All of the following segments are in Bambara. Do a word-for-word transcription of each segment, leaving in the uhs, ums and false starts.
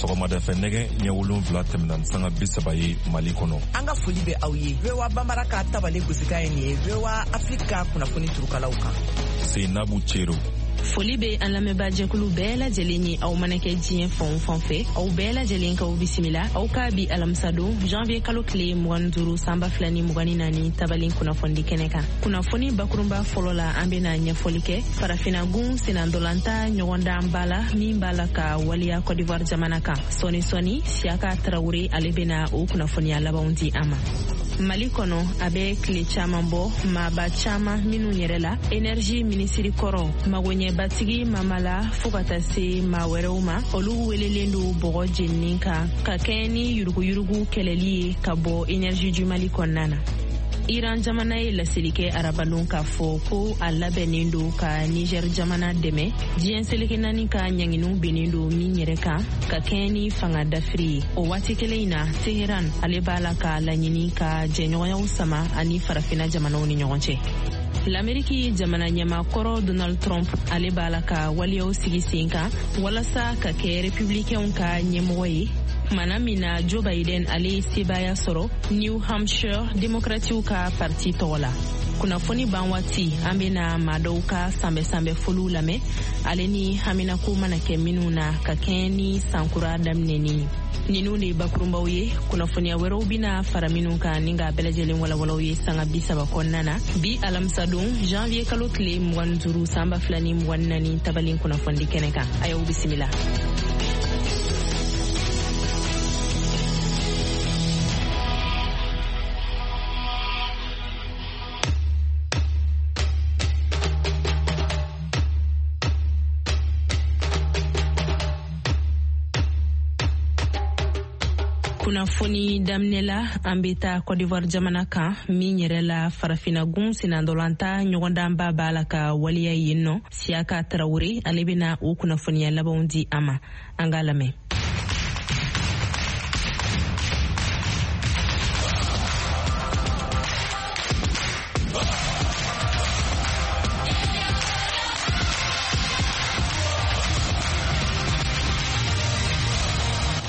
Sɔgɔmada fɛ nɛgɛ ɲɛ wolonwula tɛmɛna ni sanga bi saba ye Mali kɔnɔ. An ka foli bɛ aw ye. V O A Bambara ka tabale gosikan ye nin ye V O A Afrique ka kunnafoni turukalaw kan. Seinabu Cero. Foli bɛ an lamɛnbaajɛkulu bɛɛ lajɛlen ye, aw mana kɛ diɲɛ fan o fan fɛ, aw bɛɛ lajɛlen k'aw bisimila aw ka bi alamisadon janvier kalo tile mugan ni duuru san ba fila ni mugan ni naani tabalen kunnafonidi kɛnɛ kan. Kunnafoni bakurunba fɔlɔ la, an bɛna ɲɛfɔli kɛ farafinagun sennantolatan ɲɔgɔndanba la min b'a la ka waleya Côte d'Ivoire jamana kan. Sɔɔni sɔɔni Siyaka Tarawele ale bɛna o kunnafoniya labanw di an ma. Mali kɔnɔ, a bɛ tile caman bɔ, maaba caman minnu yɛrɛ la énergie minisiri kɔrɔ magoɲɛbatigi Mamala fo ka taa se maa wɛrɛw ma, olu welelen don bɔgɔ jeninen kan ka kɛɲɛ ni yuruguyurugu kɛlɛli ye ka bɔ énergie du Mali kɔnɔna na. Iran jamana ye laseli kɛ arabadon k'a fɔ ko a labɛnnen don ka Niger jamana dɛmɛ diɲɛ seleke naani ka ɲanginiw binnen don min yɛrɛ kan ka kɛɲɛ ni fanga dafiri ye. O waati kelen in na, Teheran ale b'a la ka laɲini ka jɛɲɔgɔnyaw sama ani farafina jamanaw ni ɲɔgɔn cɛ. L'Amérique jamana ɲɛmaakɔrɔ Donald Trump ale b'a la ka waleyaw sigi sen kan walasa ka kɛ républicainw ka ɲɛmɔgɔ ye, kumana min na Joe Biden ale ye sebaaya sɔrɔ New Hampshire démocratiw ka parti tɔgɔ la. Kunnafoni ban waati, an bɛna maa dɔw ka sanbɛ-sanbɛ foliw lamɛn ale ni haminako mana kɛ minnu na ka kɛɲɛ ni sankura daminɛni. Ninnu de ye bakurunbaw ye, kunnafoniya wɛrɛw bɛna fara minnu kan ni k'a bɛɛ lajɛlen walawalaw ye sanga bi saba kɔnɔna na. Bi alamisadon janvier kalo tile mugan ni duuru san ba fila ni mugan ni naani tabalen kunnafonidi kɛnɛ kan. A y'aw bisimila. Kunnafoni daminɛ la, an bɛ taa Côte d'Ivoire jamana kan min yɛrɛ la farafinagun sennantolatan ɲɔgɔndanba b'a la ka waleya yen nɔ. Siyaka Tarawele ale bɛna o kunnafoniya labanw di an ma, an k'a lamɛn.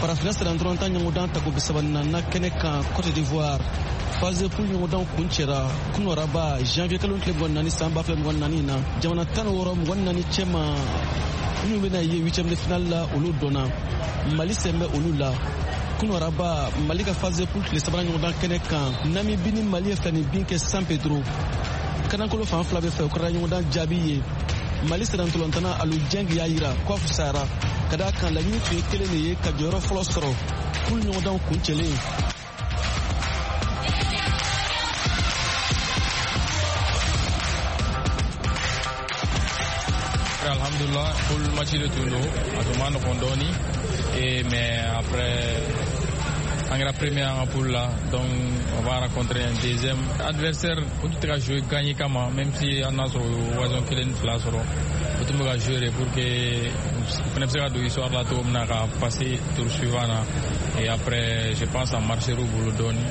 Farafina sennantolatan ɲɔgɔndan tako bi saba ni naani kɛnɛ kan Côte d'Ivoire, phase poule ɲɔgɔndan kuncɛra kunu araba janvier kalo tile mugan ni naani san ba fila mugan ni naani na. Jamana tan ni wɔɔrɔ mugan ni naani cɛma minnu bɛna ye huitième de finale la, olu dɔnna. Mali sen bɛ olu la. Kunu araba, Mali ka phase poule tile sabanan ɲɔgɔndan kɛnɛ kan, Namibi ni Mali ye fila ni bin kɛ San Pedro. Kanankolo fan fila bɛ fɛ o kɛra ɲɔgɔndan jaabi ye. Mali sennantolatan Aliou Dieng y'a yira k'a fisayara ka d'a kan laɲini tun ye kelen de ye ka jɔyɔrɔ fɔlɔ sɔrɔ poule ɲɔgɔndanw kuncɛlen. Alhamdulillah, poule match de tun don, a tun ma nɔgɔn dɔɔni, et mais après an kɛra premier en poule là, donc on va rencontrer un deuxième adversaire. O tun tɛ ka jouer gagner kama, même si an n'a sɔrɔ occasion kelen ni fila sɔrɔ, o tun bɛ ka jouer pour que u fana bɛ se ka don histoire la cogo min na ka passer tour suivant na. Et après je pense a marcher u bolo dɔɔni,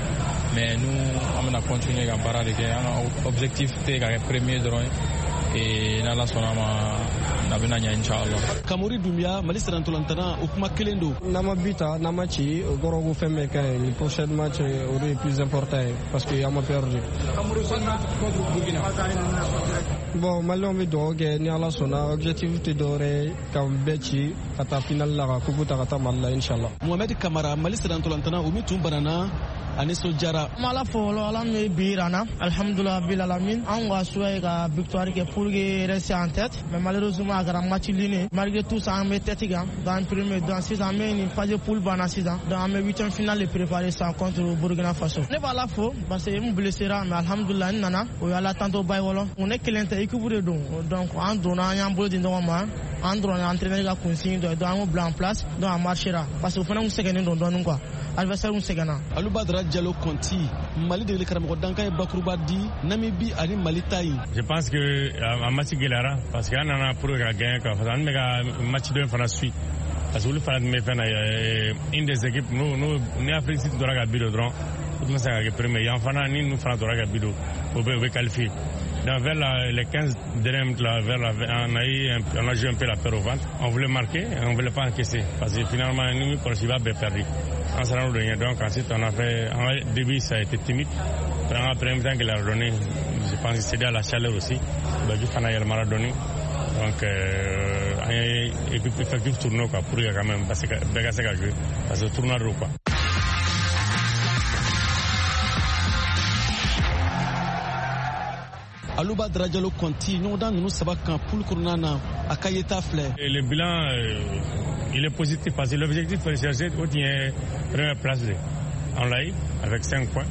mais nous an bɛna continuer ka baara de kɛ. An ka objectif tɛ ka kɛ premier dɔrɔn ye, et n'Ala sɔnna ma a bɛna ɲɛ inchallah. Kamori Doumbia, Mali sennantolatan, o kuma kelen don. N'an ma but ta, n'an ma ci, o kɔrɔ ko fɛn bɛɛ ka ɲi. Ni prochain match o de ye plus important ye parce que an ma perdu. Bon, Maliyɛnw bɛ dugawu kɛ ni Ala sɔnna, objectif tɛ dɔwɛrɛ ye ka bɛɛ ci ka taa finale la ka coupe ta ka taa Mali la inchallah. Mohamed Kamara, Mali sennantolatan, o min tun banana a nisɔndiyara. An b'Ala fo fɔlɔ, Ala min ye bi yira an na, alhamdulilah bil alamin. Anw ka souhait ye ka victoire kɛ pour que rester en tête, mais malheureusement a kɛra match nul. Malgré tout ça, an bɛ tête kan, donc premier, donc sisan an bɛ nin phase poule banna sisan, donc an bɛ huitième finale de préparer sisan contre Burkina Faso. Ne b'Ala fo parce que n blessera, mais alhamdulilah n nana, o ye Ala tanto ba ye fɔlɔ. Ne kelen tɛ, équipe de don, donc an donna an y'an bolo di ɲɔgɔn ma, an dɔrɔn entraîneur ka consigne dɔ ye, donc an y'o bila en place, donc a marchera parce que o fana kun sɛgɛnnen don dɔɔnin quoi, adversaire kun sɛgɛnna. Alou Badara Diallo Conti, Mali degeli karamɔgɔ dankan ye bakuruba di Namibi ani Mali ta ye. Je pense que a match gɛlɛyara parce que an nana pour que ka gagner quoi, parce que an bɛ ka match dɔ in fana suit parce que olu fana tun bɛ fɛn na, une des équipes n'o n'o ni Afrique Sud tora ka bi don dɔrɔn, o tun bɛ se ka kɛ premier. Yan fana ni ninnu fana tora ka bi don, o bɛ o bɛ qualifier. Donc vers la, les quinze dernières minutes, là, vers la, on a eu un, on a joué un peu la peur au ventre. On voulait marquer, on ne voulait pas encaisser. Parce que finalement, nous, Kɔlɔsiba bɛɛ perdu. An sera n'o donc ensuite on a fait, en début ça a été timide. Après, premier temps qu'il a donné, je pense que c'était à la chaleur aussi. Baju fana yɛlɛmara dɔɔni. Donc euh, an ye équipe effectif tournoi quoi, pour que quand même parce que bɛɛ ka se ka jouer parce que tournoi don quoi. Aluba Drajalo Conti, ɲɔgɔndan ninnu saba kan poule kɔnɔna na a ka yeta filɛ. Le bilan euh, il est positif parce que l'objectif recherché o tun ye première place de. On l'a eu avec cinq points.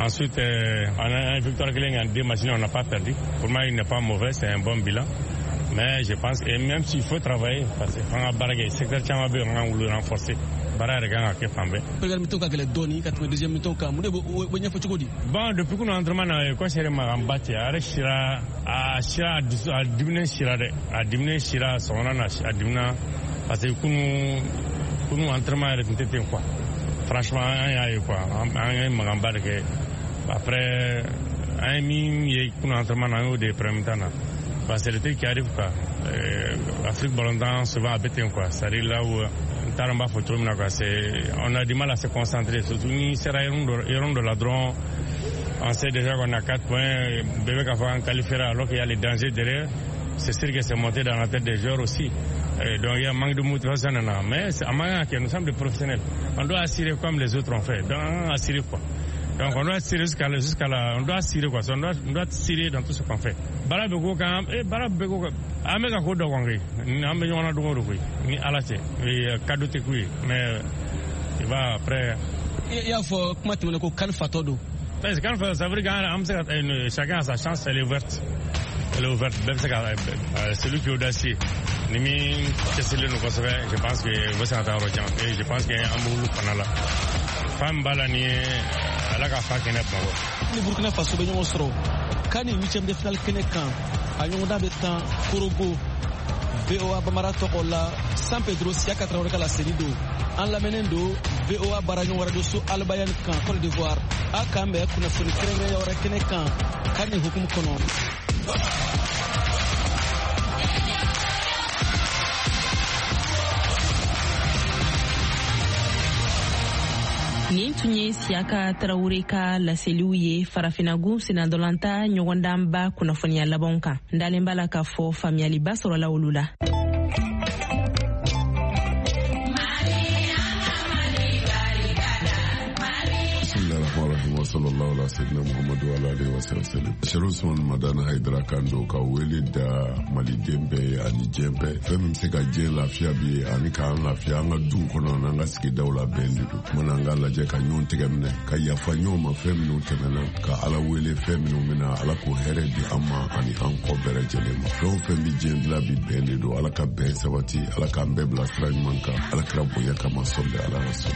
Ensuite, euh, on a une victoire kelen en deux matchs, on n'a pas perdu. Pour moi, il n'est pas mauvais, c'est un bon bilan. Mais je pense, et même s'il faut travailler, parce que an ka baara kɛ secteur caman bɛ yen, an k'olu renforcer. Baara yɛrɛ kan ka kɛ fan bɛɛ. Première mi-temps ka gɛlɛn dɔɔni ka tɛmɛ deuxième mi-temps kan, mun de b'o ɲɛfɔ cogo di? Bon, depuis qu'on entraînement na, coach yɛrɛ mankanba cɛ, a yɛrɛ sira, a sira, a diminen sira dɛ, a diminen sira sɔgɔma na, a dimina parce que kunu kunu entraînement yɛrɛ tun tɛ ten quoi. Franchement, an y'a ye quoi, an ye mankanba de kɛ. Après, an ye min ye kunu entraînement na, an y'o de ye premier mi-temps na. Bah, c'est le truc qui arrive quoi. Euh, Afrique ballontan souvent a bɛ ten quoi. C'est-à-dire là où n t'a dɔn n b'a fɔ cogo min na quoi, c'est on a du mal à se concentrer, surtout ni sera yɔrɔ dɔ la dɔrɔn, on sait déjà qu'on a quatre points, bɛɛ bɛ k'a fɔ an qualifiera alors qu'il y a les dangers derrière. C'est sûr que c'est monté dans la tête des joueurs aussi. Et donc il y a un manque de motivation nana. Mais a man kan ka kɛ, nous sommes des professionnels. On doit assurer comme les autres ont fait. Donc on assurer quoi. Donc on doit tirer jusqu'à la, jusqu'à la, on doit tirer quoi, on doit, on doit tirer dans tout ce qu'on fait. Baara bɛ ko kan, eh baara bɛ ko kan, an bɛ ka ko dɔ kɔn koyi, an bɛ ɲɔgɔn na don o don koyi, ni Ala cɛ, cadeau tɛ k'u ye, mais il va après. I y'a fɔ kuma tɛmɛnen ko CAN fatɔ don. Parce que CAN fatɔ, ça veut dire qu'an bɛ se ka, chacun a sa chance, elle est ouverte. Elle est ouverte, bɛɛ bɛ se ka, celui qui est audacieux, ni min cɛsirilen don kosɛbɛ, je pense que u bɛ se ka taa yɔrɔ jan, et je pense que an b'olu fana la. Fan min b'a la ni ye Ala ka fa kɛnɛ Bamakɔ. Ni Burkina Faso bɛ ɲɔgɔn sɔrɔ CAN huitième de finale kɛnɛ kan, a ɲɔgɔndan bɛ tan Korogo. V O A Bamara tɔgɔ la San Pedro Siyaka Tarawele ka laseli don. An lamɛnnen don V O A baaraɲɔgɔn radio so Albayan kan Côte d'Ivoire. A k'an bɛn kunnafoni kɛrɛnkɛrɛnya wɛrɛ kɛnɛ kan CAN hukumu kɔnɔ. Nin tun ye Siyaka Tarawele ka laseliw ye farafinagun senadɔlanta ɲɔgɔndanba kunnafoniya labanw kan. N dalen b'a la k'a fɔ faamuyaliba sɔrɔla olu la. Sallallahu ala sayyidina Muhammadu wa alihi wa sallam. Sherif Usman Madani Haidara kan don ka wele da maliden bɛɛ ani diɲɛ bɛɛ. Fɛn min bɛ se ka diɲɛ lafiya bi ani k'an lafiya an ka duw kɔnɔ n'an ka sigidaw la bɛn de don. Kumana an k'a lajɛ ka ɲɔgɔn tɛgɛ minɛ, ka yafa ɲɔgɔn ma fɛn minnu tɛmɛna, ka Ala wele fɛn minnu bɛna, Ala k'o hɛrɛ di an ma ani an kɔ bɛɛ lajɛlen ma. Fɛn o fɛn bɛ diɲɛ dilan bi bɛn de don. Ala ka bɛn sabati, Ala k'an bɛɛ bila sira ɲuman kan, Ala kira bonya kama sɔli Ala rasul.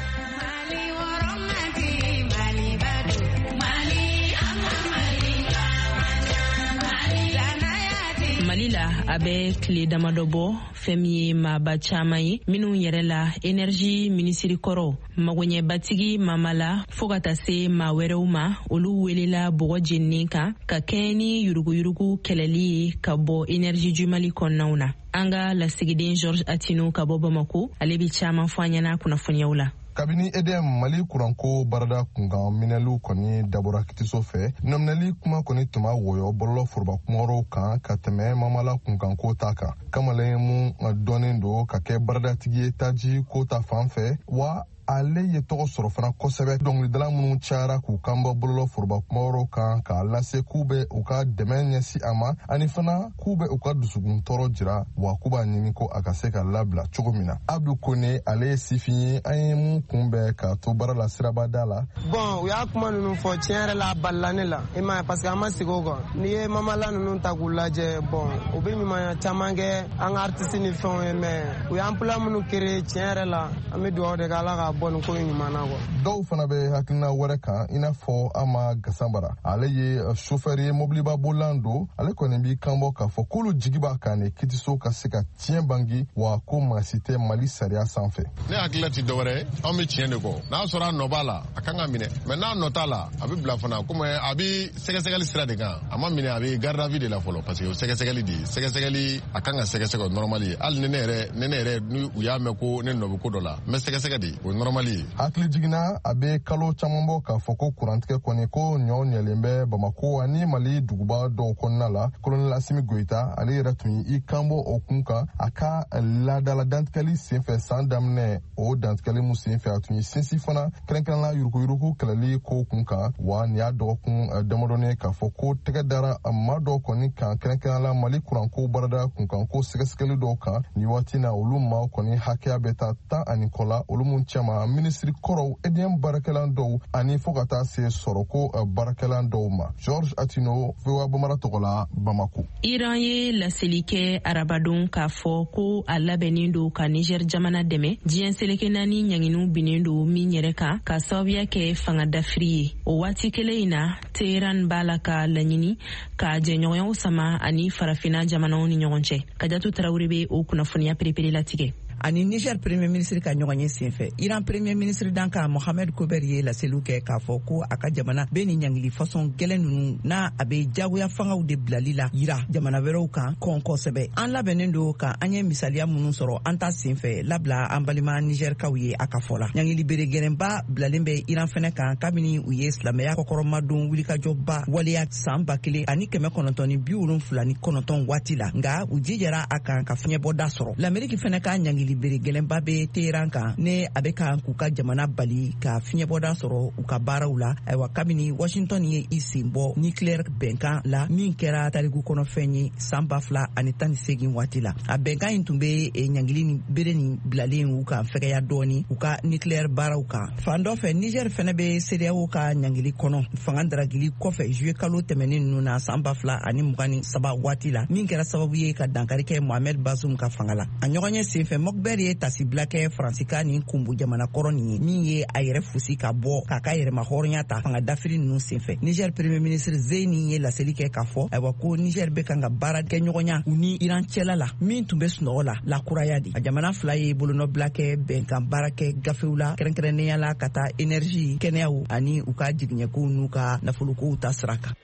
Mali la a bɛ tile damadɔ bɔ fɛn min ye maaba caman ye minnu yɛrɛ la énergie minisiri kɔrɔ magoɲɛbatigi Mamala fo ka taa se maa wɛrɛw ma, olu welela bɔgɔ jeninen kan ka kɛɲɛ ni yuruguyurugu kɛlɛli ye ka bɔ énergie du Mali kɔnɔnaw na. An ka lasigiden Georges Attino ka bɔ Bamako, ale bɛ caman fɔ an ɲɛna kunnafoniyaw la. Kabini E D M Mali kuranko baarada kunkan minɛliw kɔni dabɔra kitiso fɛ, nɔminɛli kuma kɔni tun b'a wɔyɔ bɔlɔlɔ foroba kumayɔrɔw kan ka tɛmɛ Mamala kunkanko ta kan. Kamalen mun dɔnnen don ka kɛ baaradatigi ye taji ko ta fan fɛ, wa ale ye tɔgɔ sɔrɔ fana kosɛbɛ. Dɔnkilidala minnu cayara k'u kan bɔ bɔlɔlɔ foroba kumayɔrɔw kan k'a lase k'u bɛ u ka dɛmɛ ɲɛsin a ma, ani fana k'u bɛ u ka dusukun tɔɔrɔ jira, wa k'u b'a ɲini ko a ka se ka labila cogo min na. Abdu Kone, ale ye sifin ye, an ye mun kunbɛn k'a to baara la sirabada la. Bon, u y'a kuma ninnu fɔ tiɲɛ yɛrɛ la, a balila ne la, i m'a ye, parce que an ma sigi o kan. N'i ye Mamala ninnu ta k'u lajɛ, bon, u bɛ ɲumanya caman kɛ an ka artiste ni fɛnw ye, mais u y'an plan minnu créer tiɲɛ yɛrɛ la, an bɛ dugawu de kɛ Ala ka bɔ nin ko in ɲuman na quoi. Dɔw fana bɛ hakilina wɛrɛ kan, i n'a fɔ Ama Gasambara, ale ye chauffeur ye, mobiliba bolilan don. Ale kɔni b'i kanbɔ k'a fɔ k'olu jigi b'a kan de kitiso ka se ka tiɲɛ bangi, wa ko maa si tɛ Mali sariya sanfɛ. Ne hakilila ti dɔwɛrɛ ye, anw bɛ tiɲɛ de kɔ. N'a sɔrɔ a nɔ b'a la, a kan ka minɛ, mais n'a nɔ t'a la, a bɛ bila fana, komi a bɛ sɛgɛsɛgɛli sira de kan. A ma minɛ, a bɛ garde à vue de la fɔlɔ, parce que o sɛgɛsɛgɛli de ye sɛgɛsɛgɛli, a kan ka sɛgɛsɛgɛ o normal ye. Hali ni ne yɛrɛ ni ne yɛrɛ ni u y'a mɛn ko ne nɔ bɛ ko dɔ la, n bɛ sɛgɛsɛgɛ de, o normal ye. Hakili jiginna, a bɛ kalo caman bɔ k'a fɔ ko kurantigɛ kɔni ko ɲɔ ɲɛlen bɛ Bamako ani Mali duguba dɔw kɔnɔna la. Colonel Assimi Goïta, ale yɛrɛ tun y'i kanbɔ o kun kan a ka laadala dantigɛli senfɛ san daminɛ. O dantigɛli mun senfɛ, a tun ye sinsin fana kɛrɛnkɛrɛnla yuruguyurugu kɛlɛli ko kun kan. Wa nin y'a dɔgɔkun damadɔni k'a fɔ ko tɛgɛ dara maa dɔw kɔni kan, kɛrɛnkɛrɛnla Mali kuranko baarada kunkanko sɛgɛsɛgɛli dɔw kan. Nin waati na, olu maaw kɔni hakɛya bɛ taa tan ani kɔ la, olu mun cɛma minisiri kɔrɔw, E D M baarakɛlan dɔw ani fo ka taa se sɔrɔko baarakɛlan dɔw ma. George Atino, V O A Bambara tɔgɔ la, Bamako. Iran ye laseli kɛ arabadon k'a fɔ ko a labɛnnen don ka Niger jamana dɛmɛ diɲɛ seleke naani ɲanginiw binnen don min yɛrɛ kan ka sababuya kɛ fanga dafiri ye. O waati kelen in na, Teheran b'a la ka laɲini ka jɛɲɔgɔnyaw sama ani farafina jamanaw ni ɲɔgɔn cɛ. Kajatu Tarawele bɛ o kunnafoniya perepere latigɛ. Ani Niger premier ministre ka ɲɔgɔn ye senfɛ, Iran premier ministre dankan Mohamed Kober ye laseliw kɛ k'a fɔ ko a ka jamana bɛ nin ɲangili fasɔn gɛlɛn ninnu n'a a bɛ jagoya fangaw de bilali la yira jamana wɛrɛw kan kɔn kosɛbɛ. An labɛnnen don ka an ye misaliya minnu sɔrɔ an ta senfɛ labila an balima Nigerkaw ye, a ka fɔ la. Ɲangili bere gɛlɛnba bilalen bɛ Iran fɛnɛ kan kabini u ye silamɛya kɔkɔrɔmadon wulikajɔba waleya san ba kelen ani kɛmɛ kɔnɔntɔn ni bi wolonfila ni kɔnɔntɔn waati la, nka u jijara a kan ka fiɲɛbɔda sɔrɔ. Lameriki fɛnɛ ka ɲangili bere gɛlɛnba bɛ Teheran kan ne a bɛ kan k'u ka jamana bali ka fiɲɛbɔda sɔrɔ u ka baaraw la. Ayiwa, kabini Washington ye i sen bɔ nucléaire bɛnkan la min kɛra tariku kɔnɔfɛn ye san ba fila ani tan ni seegin waati la, a bɛnkan in tun bɛ ɲangili ni bere nin bilalen u kan fɛgɛya dɔɔni u ka nucléaire baaraw kan. Fan dɔ fɛ, Niger fɛnɛ bɛ CEDEAO ka ɲangili kɔnɔ fanga daragili kɔfɛ juillet kalo tɛmɛnen ninnu na san ba fila ani mugan ni saba waati la, min kɛra sababu ye ka dankari kɛ Mohamed Bazoum ka fanga la. A ɲɔgɔn ye senfɛ, Mokber ye tasibila kɛ Faransi ni kunbu jamana kɔrɔ nin ye min ye a yɛrɛ fusi ka bɔ k'a ka yɛrɛma hɔrɔnya ta fanga dafiri ninnu senfɛ. Niger premier ministre Zeyni ye laseli kɛ k'a fɔ ayiwa ko Niger bɛ kan ka baara kɛ ɲɔgɔnya u ni Iran cɛla la min tun bɛ sunɔgɔ la lakuraya de. A jamana fila ye bolonɔbila kɛ bɛnkan baara kɛ gafew la, kɛrɛnkɛrɛnnenya la ka taa énergie, kɛnɛyaw ani u ka jigiɲɛkow n'u ka nafolokow ta sira kan.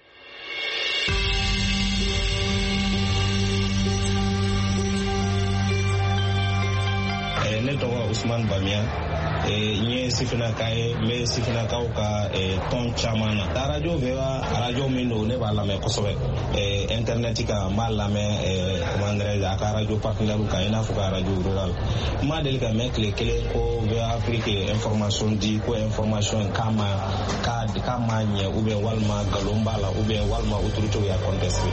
Ne tɔgɔ Usman Bamiya, n ye sifinnaka ye, n bɛ sifinnakaw ka tɔn caman na. Arajo V O A, arajo min don, ne b'a lamɛn kosɛbɛ internet kan, n b'a lamɛn comment dirais-je a ka arajo partenaire kan, i n'a fɔ ka arajo rural. N ma deli ka mɛn tile kelen ko V O A Afrique ye information di ko information k'a ma k'a ma ɲɛ ou bien walima nkalon b'a la ou bien walima autorité y'a contesté.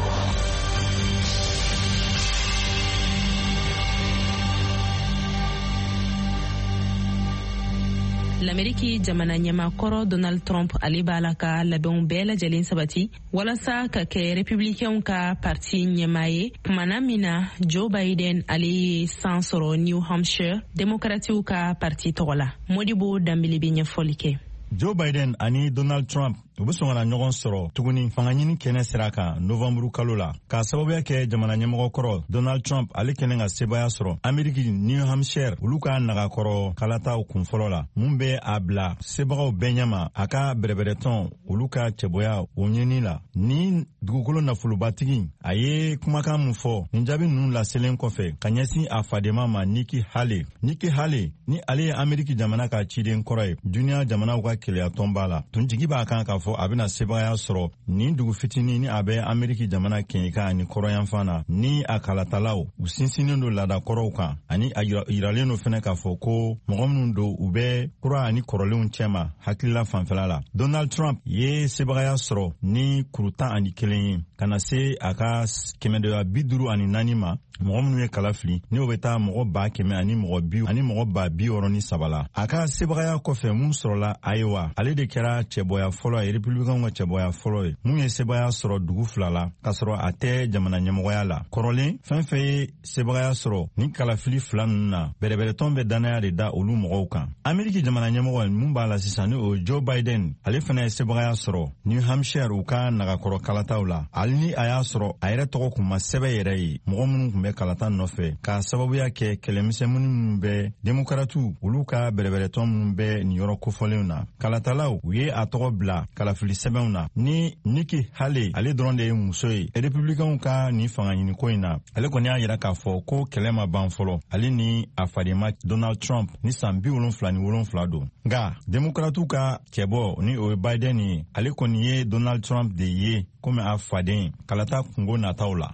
L'Amérique jamana ɲɛmaakɔrɔ Donald Trump ale b'a la ka labɛnw bɛɛ lajɛlen sabati walasa ka kɛ républicainw ka parti ɲɛmaa ye. Kumana min na, Joe Biden ale ye san sɔrɔ New Hampshire démocratiw ka parti tɔgɔ la. Modibo Danbele bɛ ɲɛfɔli kɛ. Joe Biden ani Donald Trump u bɛ sɔn ka na ɲɔgɔn sɔrɔ tuguni fanga ɲini kɛnɛ sira kan novanburu kalo la, k'a sababuya kɛ jamana ɲɛmɔgɔ kɔrɔ Donald Trump ale kɛlen ka sebaya sɔrɔ Ameriki New Hampshire olu ka nagakɔrɔ kalataw kunfɔlɔ la, mun bɛ a bila sebagaw bɛɛ ɲɛma a ka bɛrɛbɛrɛtɔn olu ka cɛbɔya o ɲini la. Ni dugukolo nafolobatigi a ye kumakan mun fɔ nin jaabi ninnu laselen kɔfɛ ka ɲɛsin a fadenma ma Nikki Haley. Nikki Haley ni ale ye Ameriki jamana ka ciden kɔrɔ ye duniya jamanaw ka keleya tɔnba la, tun jigi b'a kan k'a fɔ a bɛna sebagaya sɔrɔ nin dugu fitinin ni a bɛ Ameriki jamana kɛɲɛka ani kɔrɔyanfan na, ni a kalatalaw u sinsinnen don laadakɔrɔw kan, ani a yiralen don fɛnɛ k'a fɔ ko mɔgɔ minnu don u bɛ kura ani kɔrɔlenw cɛma hakilila fanfɛla la. Donald Trump ye sebagaya sɔrɔ ni kuru tan ani kelen ye ka na se a ka kɛmɛdɔya bi duuru ani naani ma. Mɔgɔ minnu ye kala fili, ni o bɛ taa mɔgɔ ba kɛmɛ ani mɔgɔ bi ani mɔgɔ ba bi wɔɔrɔ ni saba la. A ka sebagaya kɔfɛ mun sɔrɔla Iowa, ale de kɛra cɛbɔya fɔlɔ ye, Republicainw ka cɛbɔya fɔlɔ ye mun ye sebagaya sɔrɔ dugu fila la k'a sɔrɔ a tɛ jamana ɲɛmɔgɔya la. Kɔrɔlen, fɛn fɛn ye sebagaya sɔrɔ ni kalafili fila ninnu na, bɛrɛbɛrɛtɔn bɛ dannaya de da olu mɔgɔw kan. Ameriki jamana ɲɛmɔgɔ mun b'a la sisan, ni o ye Joe Biden, ale fana ye sebagaya sɔrɔ New Hampshire u ka nagakɔrɔ kalataw la, hali ni a y'a sɔrɔ a yɛrɛ tɔgɔ kun ma sɛbɛn yɛrɛ ye mɔgɔ minnu kun bɛ kalata nɔfɛ, k'a sababuya kɛ kɛlɛmisɛnnin minnu bɛ Demokaratiw olu ka bɛrɛbɛrɛtɔn minnu bɛ nin yɔrɔ kofɔlenw na. Kalatalaw u ye a tɔgɔ bila kalafili sɛbɛnw na. Ni Nikki Haley, ale dɔrɔn de ye muso ye Republicainw ka nin fanga ɲiniko in na, ale kɔni y'a yira k'a fɔ ko kɛlɛ ma ban fɔlɔ, ale ni a fadenma Donald Trump ni san bi wolonfila ni wolonfila don. Nka Demokaratiw ka cɛbɔ, ni o ye Biden ye, ale kɔni ye Donald Trump de ye komi a faden kalata kungo nataw la.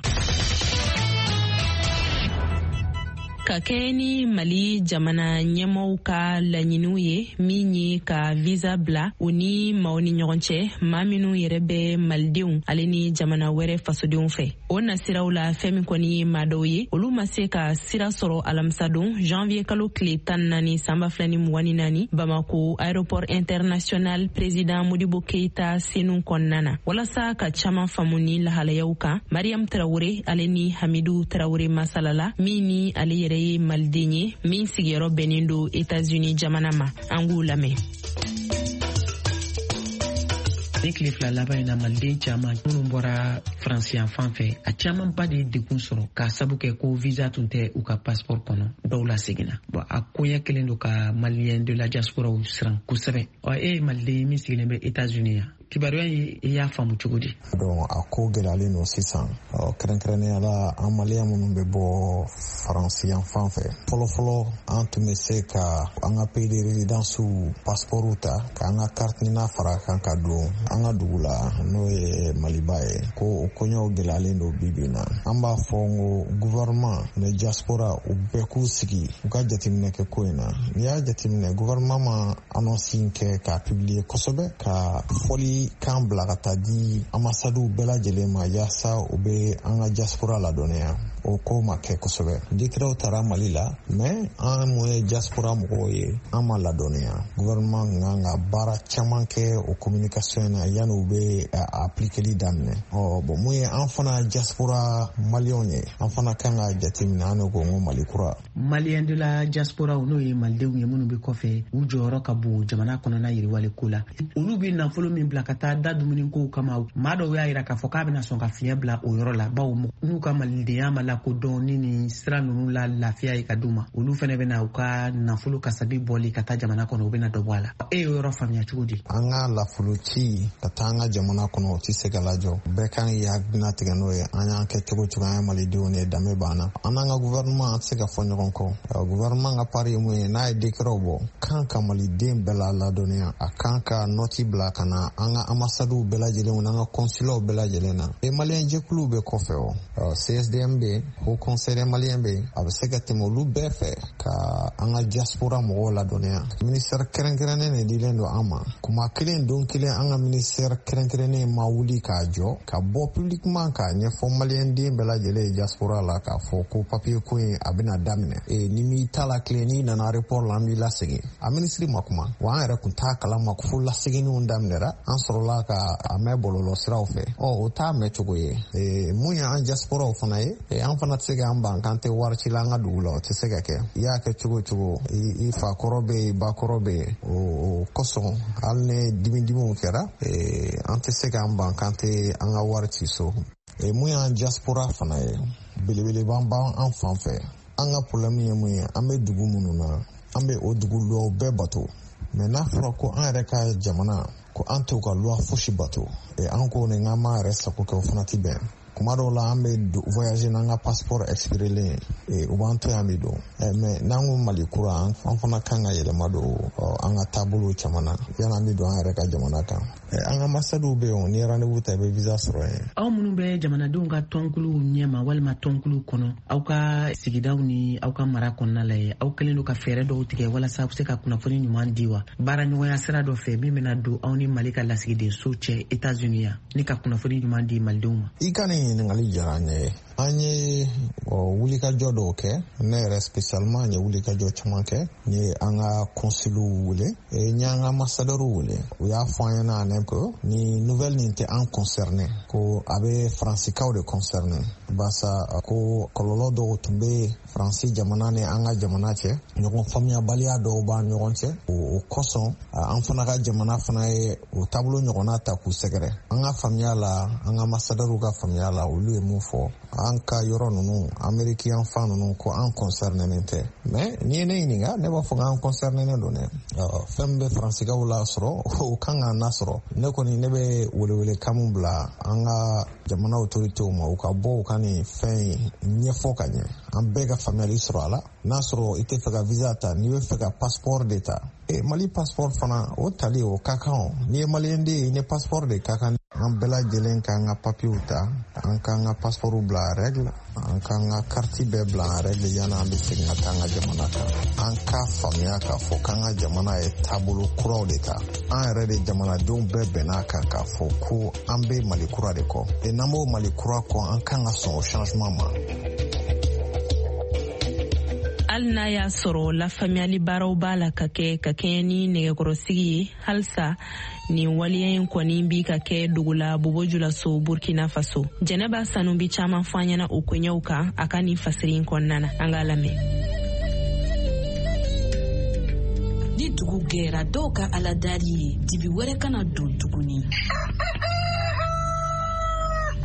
Ka kɛɲɛ ni Mali jamana ɲɛmɔgɔw ka laɲiniw ye min ye ka visa bila u ni maaw ni ɲɔgɔn cɛ, maa minnu yɛrɛ bɛ malidenw ale ni jamana wɛrɛ fasodenw fɛ, o nasiraw la fɛn min kɔni ye maa dɔw ye, olu ma se ka sira sɔrɔ alamisadon janvier kalo tile tan naani san ba fila ni mugan ni naani Bamako aéroport international président Modibo Keita Senu kɔnɔna na. Walasa ka caman faamu ni lahalayaw kan, Mariam Traoré ale ni Hamidu Traoré masalala, min ni ale yɛrɛ ye maliden ye min sigiyɔrɔ bɛnnen don États-Unis jamana ma, an k'u lamɛn. Ni tile fila laban in na, maliden caman minnu bɔra faransi yan fan fɛ, a camanba de ye degun sɔrɔ k'a sabu kɛ ko visa tun tɛ u ka passeport kɔnɔ. Dɔw la seginna. Bon, a koɲɛ kelen don ka malien de la diaspora siran kosɛbɛ. Ɔ, e ye maliden ye min sigilen bɛ États-Unis yan, kibaruya in i y'a faamu cogo di? Donc a ko gɛlɛyalen don sisan, kɛrɛnkɛrɛnnenya la an maliyɛn minnu bɛ bɔ faransi yan fan fɛ. Fɔlɔfɔlɔ, an tun bɛ se ka an ka pays de résidence passeport ta k'an ka carte NINA fara kan ka don an ka dugu la, n'o ye Maliba ye. Ko o koɲɛw gɛlɛyalen don bi bi in na. An b'a fɔ n ko gouvernement ni diaspora, u bɛɛ k'u sigi, u ka jateminɛ kɛ ko in na. N'i y'a jateminɛ, gouvernement ma annonce in kɛ k'a publier kosɛbɛ, ka fɔli kan bila ka taa di ambassadew bɛɛ lajɛlen ma yaasa u bɛ an ka diaspora ladɔnniya. O ko ma kɛ kosɛbɛ. Décretw taara Mali la, mais an mun ye diaspora mɔgɔw ye, an ma ladɔnniya. Gouvernement kan ka baara caman kɛ o communication na yanni u bɛ appliqueli daminɛ. Ɔ bon, mun ye an fana diaspora maliyɛnw ye, an fana kan ka jateminɛ. An de ko n ko Mali kura. Malien de la diaspora, n'o ye malidenw ye minnu bɛ kɔfɛ, u jɔyɔrɔ ka bon jamana kɔnɔna yiriwale ko la. Olu bɛ nafolo min bila ka taa da dumunikow kama, maa dɔw y'a yira k'a fɔ k'a bɛna sɔn ka fiɲɛ bila o yɔrɔ la, bawo n'u ka malidenya ma lakodɔn ni nin sira ninnu la lafiya ye ka d'u ma, olu fɛnɛ bɛna u ka nafolo kasabi bɔli ka taa jamana kɔnɔ, u bɛna dɔ bɔ a la. E y'o yɔrɔ faamuya cogo di? An ka nafolo ci ka taa an ka jamana kɔnɔ, o tɛ se ka lajɔ. Bɛɛ kan k'i hakilina tigɛ n'o ye. An y'an kɛ cogo cogo, an ye malidenw de ye, danbe b'an na. An n'an ka gouvernement, an tɛ se ka fɔ ɲɔgɔn kɔ. Gouvernement ka part ye mun ye? N'a ye décret bɔ, kan ka maliden bɛɛ la ladɔnniya, a kan ka note bila ka na an ka ambassadew bɛɛ lajɛlen n'an ka consulatw bɛɛ lajɛlen na. E maliyɛn jɛkuluw bɛ kɔfɛ, o C S D M bɛ yen, Haut Conseil des Maliens bɛ yen, a bɛ se ka tɛmɛ olu bɛɛ fɛ ka an ka diaspora mɔgɔw ladɔnniya. Ministère kɛrɛnkɛrɛnnen de dilen don an ma. Kuma kelen don kelen, an ka ministère kɛrɛnkɛrɛnnen ma wuli k'a jɔ ka bɔ publiquement k'a ɲɛfɔ maliyɛn den bɛɛ lajɛlen ye diaspora la k'a fɔ ko papier ko in a bɛna daminɛ. E ni m'i ta la tile, n'i nana aéroport la, an b'i lasegin. A minisiri ma kuma wa, an yɛrɛ kun t'a kalama fo laseginniw daminɛra, an sɔrɔla ka a mɛn bɔlɔlɔ siraw fɛ. Ɔ, o t'a mɛn cogo ye. E, mun ye an diasporaw fana ye, e, an fana tɛ se k'an ban k'an tɛ wari ci la an ka dugu la, o tɛ se ka kɛ. I y'a kɛ cogo cogo, i fa kɔrɔ bɛ yen, i ba kɔrɔ bɛ yen. O kosɔn, hali ni dimidimiw kɛra, e, an tɛ se k'an ban k'an tɛ an ka wari ci so. E, mun y'an diaspora fana ye, belebeleba b'an fan fɛ. An ka problème ye mun ye? An bɛ dugu minnu na, an bɛ o dugu lɔw bɛɛ bato, mais n'a fɔra ko an yɛrɛ ka jamana, ko an t'o ka loi fosi bato, e, an ko nin k'an m'an yɛrɛ sago kɛ, o fana ti bɛn. Kuma dɔw la an bɛ voyager n'an ka passeport expirelen ye, u b'an to yan bi don. Mais n'an ko Mali kura, an fana kan ka yɛlɛma don an ka taabolow caman na yanni an bɛ don an yɛrɛ ka jamana kan. An ka ambassades bɛ yen, n'i ye rendez-vous ta i bɛ visa sɔrɔ yen. Aw minnu bɛ jamanadenw ka tɔnkuluw ɲɛma walima tɔnkuluw kɔnɔ, aw ka sigidaw ni aw ka mara kɔnɔna la ye, aw kɛlen don ka fɛɛrɛ dɔw tigɛ walasa aw bɛ se ka kunnafoni ɲuman di wa baara ɲɔgɔnya sira dɔ fɛ min bɛna don aw ni Mali ka lasigidenso cɛ États-Unis yan ni ka kunnafoni ɲuman di malidenw ma? I ka nin ɲininkali diyara n ye. An ye wulikajɔ dɔw kɛ, ne yɛrɛ spécialement n ye wulikajɔ caman kɛ. N ye an ka consuliw wele, n ye an ka ambassadeurs wele. U y'a fɔ an ɲɛna ne ko ni nouvelle nin tɛ an concerné, ko a bɛ faransikaw de concerné, barisa ko kɔlɔlɔ dɔw tun bɛ Faransi jamana ni an ka jamana cɛ, ɲɔgɔn faamuyabaliya dɔw b'an ɲɔgɔn cɛ. O kosɔn an fana ka jamana fana ye o taabolo ɲɔgɔnna ta k'u sɛgɛrɛ. An ka faamuya la, an ka ambassadeurs ka faamuya la, olu ye mun fɔ an ka yɔrɔ ninnu, Ameriki yan fan ninnu, ko an concerné tɛ. Mais n'i ye ne ɲininka, ne b'a fɔ k'an concerné don dɛ. Fɛn min bɛ faransikaw la sɔrɔ, o kan k'an lasɔrɔ. Ne kɔni ne bɛ welewelekan min bila an ka jamana autorités ma, u ka bɔ u ka nin fɛn in ɲɛfɔ ka ɲɛ, an bɛɛ ka faamuyali sɔrɔ a la. N'a sɔrɔ i tɛ fɛ ka visa ta, n'i bɛ fɛ ka passeport de ta, e Mali passeport fana o tali o ka kan o. N'i ye maliyɛn den ye, i ni passeport de ka kan. An bɛɛ lajɛlen k'an ka papiyew ta, an k'an ka passeportw bila en règle, an k'an ka karti bɛɛ bila en règle yanni an bɛ segin ka taa an ka jamana kan. An k'a faamuya k'a fɔ k'an ka jamana ye taabolo kuraw de ta. An yɛrɛ de jamanadenw bɛɛ bɛn'a kan k'a fɔ ko an bɛ Mali kura de kɔ. E n'an b'o Mali kura kɔ, an kan ka sɔn o changement ma. Hali n'a y'a sɔrɔ lafaamuyali baaraw b'a la ka kɛ ka kɛɲɛ ni nɛgɛkɔrɔsigi ye, halisa nin waleya in kɔni bi ka kɛ dogo la Bobo Julaso, Burkina Faso. Jɛnɛba Sanu bi caman fɔ an ɲɛna o koɲɛw kan a ka nin fasiri in kɔnɔna na. An k'a lamɛn. Ni dugu gɛra, dɔw ka aladari ye dibi wɛrɛ kana don tuguni.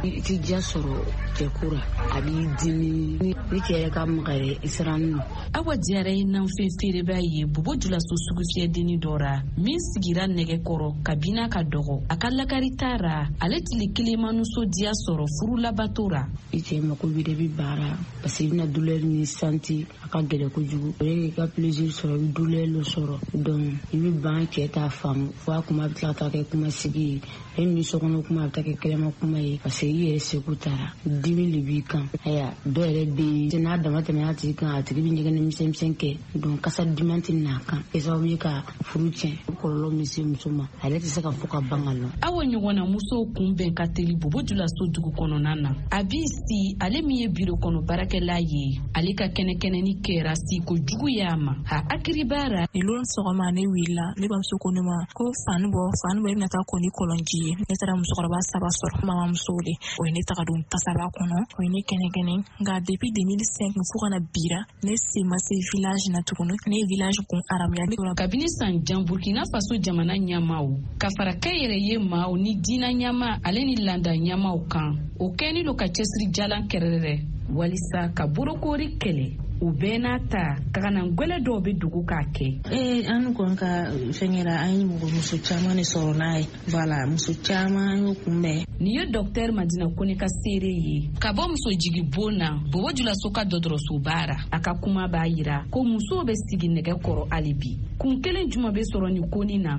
I ti diya sɔrɔ cɛko ra, a b'i dimi ni cɛ yɛrɛ ka maga yɛrɛ i sirannen don. Awa Diyara ye nanfɛn feereba ye Bobo Julaso sugufiyɛdenni dɔ ra min sigira nɛgɛ kɔrɔ kabini a ka dɔgɔ. A ka lakari t'a ra, ale tile kelen ma nisɔndiya sɔrɔ furu labato ra. I cɛ mako b'i la, i bɛ baara parce que i bɛna douleur min santi a ka gɛlɛn kojugu. O ye k'i ka plaisir sɔrɔ, i bɛ douleur dɔ sɔrɔ, donc i bɛ ban cɛ t'a faamu fo a kuma bɛ tila ka taa kɛ kuma sigi ye. E ni sokɔnɔ kuma a bɛ taa kɛ kɛnɛma kuma ye parce que i yɛrɛ seko taara, dimi de b'i kan. Ayiwa, dɔw yɛrɛ bɛ yen n'a dama tɛmɛna a tigi kan, a tigi bɛ ɲɛgɛnɛ misɛn kɛ, donc kasa duman tɛ n'a kan, kɛ sababu ye ka furu tiɲɛ. O kɔlɔlɔ min se muso ma, ale tɛ se ka fɔ ka ban ka lɔ. Awa ɲɔgɔnna musow kunbɛn ka teli Bobo Julaso dugu kɔnɔna na. A b'i si ale min ye biro kɔnɔ baarakɛla ye, ale ka kɛnɛkɛnɛni kɛra siko jugu y'a ma a hakili b'a ra. Nin lon sɔgɔma ne wulila, ne bamuso ko ne ma ko fani bɔ, fani bɔ, i bɛna taa ko ni kɔlɔnji ye. Ne taara musokɔrɔba saba sɔrɔ, mamamusow de, o ye ne taga don tasaba kɔnɔ, o ye ne kɛnɛkɛnɛ. Nka depuis deux mille cinq fo ka na bira, ne sen ma se village na tuguni. Ne ye village kun aramuya. Kabini san jan Burkina Faso jamana ɲɛmaaw ka fara kɛnyɛrɛye maaw ni diinɛ ɲɛmaa ale ni landa ɲɛmaaw kan, o kɛni lo ka cɛsiri jalan kɛrɛrɛ walisa ka bolokori kɛlɛ. O bɛɛ n'a ta, kaganagwɛlɛ dɔw bɛ dogo k'a kɛ. Ee, an kɔni ka fɛnkɛra, an ye mɔgɔ muso caman de sɔrɔ n'a ye. Voilà, muso caman an y'o kunbɛn. Nin ye docteur Madina Kone ka seere ye ka bɔ muso jigi bon na Bobo Julaso ka dɔgɔtɔrɔsoba ra. A ka kuma b'a yira ko musow bɛ sigi nɛgɛ kɔrɔ hali bi. Kun kelen jumɛn bɛ sɔrɔ nin konin na?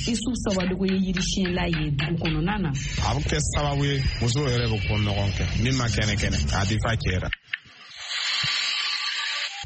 Isu Sawadogo ye yirisiyɛnla ye dugu kɔnɔna na. A bɛ kɛ sababu ye musow yɛrɛ bɛ ko ɲɔgɔn kɛ min ma kɛnɛ kɛnɛ k'a di fa cɛ la.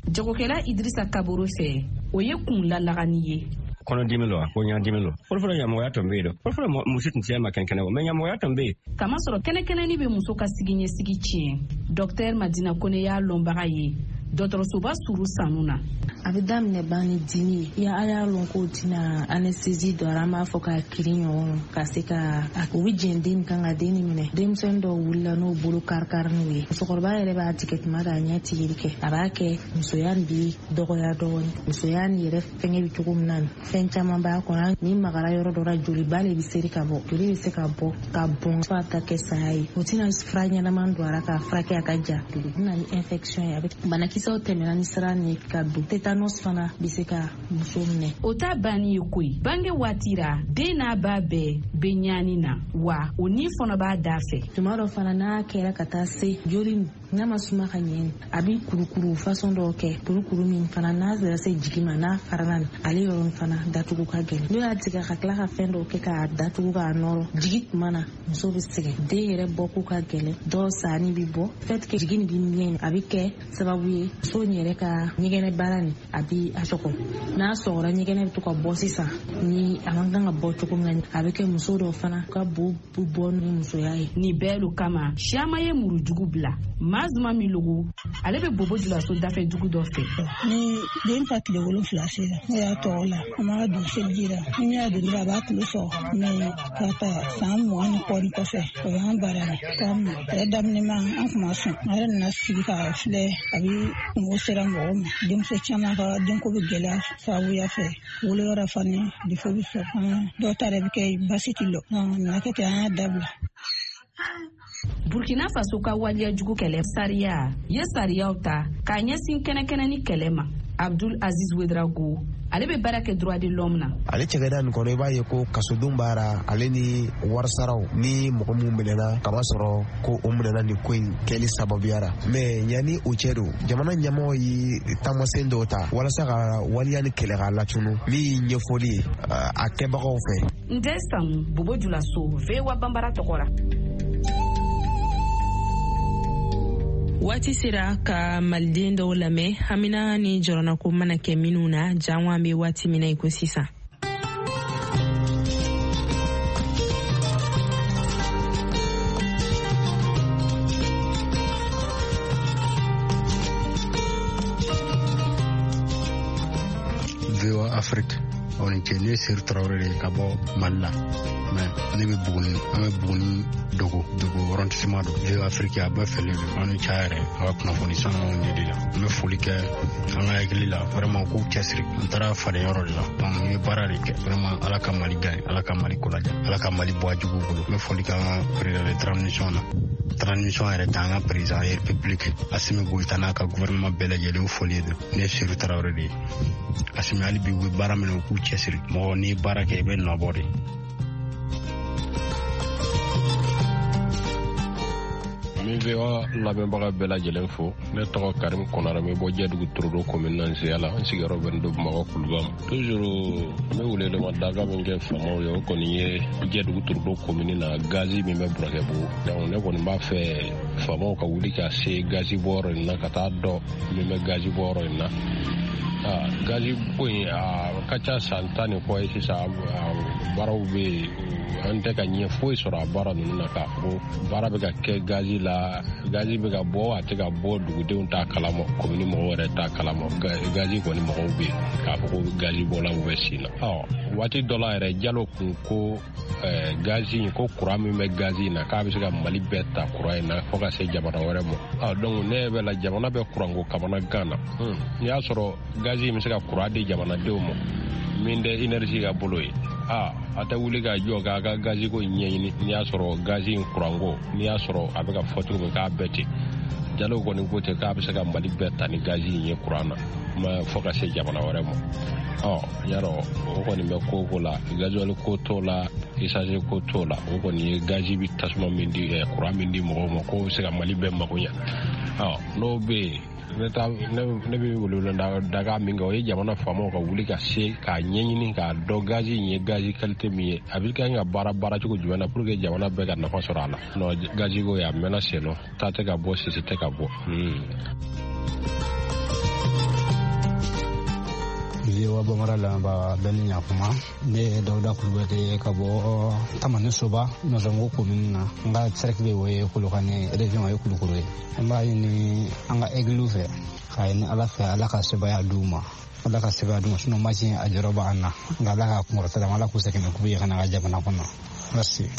Jagokɛla Idrissa Kaboro fɛ, o ye kun lalagani ye. Kɔnɔdimi lo, ko ɲadimi lo. Fɔlɔfɔlɔ ɲamɔgɔya tun bɛ yen dɛ. Fɔlɔfɔlɔ muso tun tɛ ma kɛnɛkɛnɛ o, mais ɲamɔgɔya tun bɛ yen. Kamasɔrɔ kɛnɛkɛnɛni bɛ muso ka sigiɲɛsigi tiɲɛ. Docteur Madina Kone y'a lɔnbaga ye dɔgɔtɔrɔsoba suru sanu na. A bɛ daminɛ ban ni dimi ye. A y'a lɔn k'o tɛna anesthésie dɔ an b'a fɔ k'a kirin ɲɔgɔn ka se ka u bɛ jɛn den kan ka den minɛ. Denmisɛnnin dɔw wulila n'o bolo kari-kariniw ye. Musokɔrɔba yɛrɛ b'a tigɛ tuma dɔ a ɲɛ tigɛli kɛ. A b'a kɛ musoya nin bi dɔgɔya dɔɔnin. Musoya nin yɛrɛ fɛngɛ bɛ cogo min na, fɛn caman b'a kɔnɔ. Ni magara yɔrɔ dɔ la, joliba de bɛ seri ka bɔ. Joli bɛ se ka bɔ ka bɔn fo a ta kɛ saya ye. O tɛna fura ɲɛnama don a la k'a furakɛ a ka ja. O bɛ na ni infection ye. A bɛ banakisɛ Jolikisɛw tɛmɛna ni sira nin ye ka don. Tétanos fana bɛ se ka muso minɛ. O t'a banni ye koyi. Bange waati ra, den n'a ba bɛɛ bɛ ɲaani na, wa o ni fana b'a da fɛ. Tuma dɔ fana n'a kɛra ka taa se joli n'a ma suma ka ɲɛ, a bɛ kurukuru façon dɔw kɛ, kurukuru min fana n'a sera se jigin ma, n'a farala ale yɔrɔ fana datugu ka gɛlɛn. N'o y'a tigɛ ka tila ka fɛn dɔw kɛ k'a datugu k'a nɔrɔ, jigi tuma na muso bɛ sɛgɛn, den yɛrɛ bɔko ka gɛlɛn, dɔw sanni bɛ bɔ, fait que jigin bɛ mɛn, a bɛ kɛ sababu ye muso in yɛrɛ ka ɲɛgɛnɛ baara nin a bɛ a sɔgɔ. N'a sɔgɔra, ɲɛgɛnɛ bɛ to ka bɔ sisan ni a man kan ka bɔ cogo min na, a bɛ kɛ muso dɔw fana ka bo bɔ ni musoya ye. Nin bɛɛ lo kama siyaman ye murujugu bila. Mazuma Milogo, ale bɛ Bobo Julaso dafɛ dugu dɔ fɛ. Ni den ta tile wolonfila sera, ne y'a tɔgɔ la, an b'a don seliji la. Ni y'a don dɔrɔn, a b'a tulo sɔgɔ. Mɛ ka ta san mugan ni kɔ ni kɔfɛ, o y'an baara la. K'a ma a yɛrɛ daminɛ ma, an kun ma sɔn. A yɛrɛ nana sigi k'a filɛ, a bɛ kungo sera mɔgɔw ma. Denmuso caman ka denko bɛ gɛlɛya sababuya fɛ. Woloyɔrɔ fana defo bɛ sɔrɔ. Dɔw ta yɛrɛ bɛ kɛ basi ti lɔ. Nana kɛ ten, an y'a dabila. Burkina Faso ka waleya jugu kɛlɛ sariya ye sariyaw ta k'a ɲɛsin kɛnɛkɛnɛ ni kɛlɛ ma. Abdul Aziz Ouedraogo, ale bɛ baara kɛ droit de l'homme na. Ale cɛgɛda nin kɔnɔ, i b'a ye ko kasodenw b'ara ale ni warisaraw ni mɔgɔ minnu minɛna kaba sɔrɔ ko o minɛna nin ko in kɛli sababuyara. Mɛ yanni o cɛ don, jamana ɲɛmɔgɔ ye taamasen dɔw ta walasa ka waleya ni kɛlɛ k'a latunu, min ye ɲɛfɔli ye a kɛbagaw fɛ. Ndɛ Sanu, Bobo Julaso, V O A Banbara tɔgɔ la. Waati sera ka maliden dɔw lamɛn hamina ni jɔrɔnako mana kɛ minnu na jango an bɛ waati min na i ko sisan. V O A Afrique, aw ni ce. Ne ye Seru Tarawele de ye ka bɔ Mali la, mɛ ne bɛ Buguni, an bɛ Buguni dogo dogo arrondissement don. V O A Afrique a bɛɛ fɛlen don, an ni ca yɛrɛ a ka kunnafoni sanuw de de la. N bɛ foli kɛ an ka hakili la, vraiment k'u cɛsiri. N taara fadenyɔrɔ de la, donc n ye baara de kɛ vraiment. Ala ka Mali gagne, Ala ka Mali kolaja, Ala ka Mali bɔ a juguw bolo. N bɛ foli kɛ an ka président de transition na, transition yɛrɛ tɛ, an ka président république Assimi Goïta n'a ka gouvernement bɛɛ lajɛlen, o foli don. Ne ye Seru Tarawele de ye. Assimi hali bi u bɛ baara min na, u k'u cɛsiri. Mɔgɔ n'i ye baara kɛ, i bɛ nɔ bɔ de. N bɛ V O A lamɛnbaga bɛɛ lajɛlen fo. Ne tɔgɔ Karim Konare, n bɛ bɔ Jɛdugu Torodo commune na Nseya la. N sigiyɔrɔ bɛnnen don Bamakɔ Kuluba ma. Toujours n bɛ welewelema daga min kɛ faamaw ye, o kɔni ye Jɛdugu Torodo commune na gazi min bɛ Burakɛbugu. Donc ne kɔni b'a fɛ faamaw ka wuli ka se gazi bɔyɔrɔ in na, ka taa dɔn min bɛ gazi bɔyɔrɔ in na. Ah, gazi ko in a ka ca san tan ni kɔ ye sisan, baaraw bɛ yen, an tɛ ka ɲɛ foyi sɔrɔ a baara ninnu na k'a fɔ ko baara bɛ ka kɛ gazi la, gazi bɛ ka bɔ, a tɛ ka bɔ, dugudenw t'a kalama, komini mɔgɔw yɛrɛ t'a kalama. Gazi kɔni mɔgɔw bɛ yen k'a fɔ ko gazi bɔlaw bɛ sen na. Ɔ waati dɔ la yɛrɛ, Jalo kun ko gazi in, ko kuran min bɛ gazi in na, k'a bɛ se ka Mali bɛɛ ta kuran in na fo ka se jamana wɛrɛ ma. Ɔ donc ne bɛ la jamana bɛ kuranko kamana gan na. N'i y'a sɔrɔ gazi in bɛ se ka kuran di jamanadenw ma min tɛ énergie ka bolo ye, a a tɛ wuli ka jɔ k'a ka gazi ko ɲɛɲini. N'i y'a sɔrɔ gazi in kuranko, n'i y'a sɔrɔ a bɛ ka fɔ cogo min k'a bɛɛ ten, Jalo kɔni ko ten k'a bɛ se ka Mali bɛɛ ta ni gazi in ye kuran na, ma fo ka se jamana wɛrɛ ma. Ɔ yarɔ o kɔni bɛ ko ko la, gazuwali ko t'o la, essence ko t'o la, o kɔni ye gazi bɛ tasuma min di, kuran min di mɔgɔw ma, k'o bɛ se ka Mali bɛɛ mago ɲɛ. Ɔ n'o bɛ yen, ne ta ne bɛ welewele daga min kɛ, o ye jamana faamaw ka wuli ka se k'a ɲɛɲini k'a dɔn gazi in ye gazi qualité min ye, a bɛ kan ka baara baara cogo jumɛn na pour que jamana bɛɛ ka nafa sɔrɔ a la. Non, gazi ko ye a mɛnna sen nɔ, ta tɛ ka bɔ, sisi tɛ ka bɔ. V O A Bambara lamɛnbaga bɛɛ ni ɲakuma. Ne ye Dawuda Kulubali ye ka bɔ Tamani Soba Nɔsɔngo commune na. N ka cercle o ye Kolokani, région o ye Kulukoro ye. An b'a ɲini an ka aigle fɛ k'a ɲini Ala fɛ, Ala ka sebaya d'u ma, Ala ka sebaya d'u ma, sinon match in a jɔyɔrɔ b'an na. Nka Ala ka kunkɔrɔta d'an ma, Ala k'u segin ni coupe ye ka na an ka jamana kɔnɔ. Merci.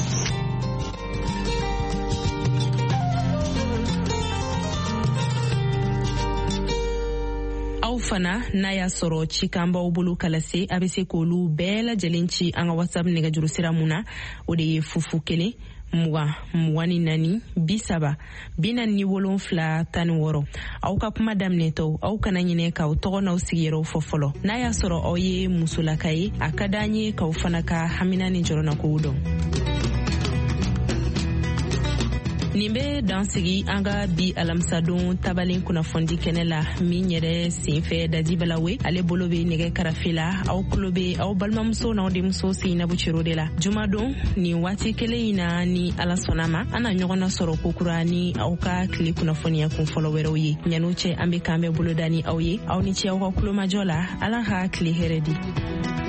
Aw fana n'a y'a sɔrɔ cikan b'aw bolo ka lase, a bɛ se k'olu bɛɛ lajɛlen ci an ka WhatsApp nɛgɛjuru sira mun na, o de ye fufu kelen Mugan, mugan ni naani, bi saba, bi naani ni wolonfila, tan ni wɔɔrɔ. Aw ka kuma daminɛtɔ, aw kana ɲinɛ k'aw tɔgɔ n'aw sigiyɔrɔw fɔ fɔlɔ. N'a y'a sɔrɔ aw ye musolaka ye, a ka d'an ye k'aw fana ka hamina ni jɔrɔnakow dɔn. Nin bɛ dan sigi an ka bi alamisadon tabalen kunnafonidi kɛnɛ la min yɛrɛ senfɛ Dadi Balawe ale bolo bɛ nɛgɛ karafe la. Aw tulo bɛ aw balimamuso n'aw denmuso Seyinabu Cero de la. Jumadon nin waati kelen in na, ni Ala sɔnna ma, an na ɲɔgɔn nasɔrɔ kokura ni aw ka tile kunnafoniya kun fɔlɔ wɛrɛw ye. Ɲan'o cɛ, an bɛ k'an bɛ boloda ni aw ye. Aw ni ce aw ka kulomajɔ la. Ala ka tile hɛrɛ di.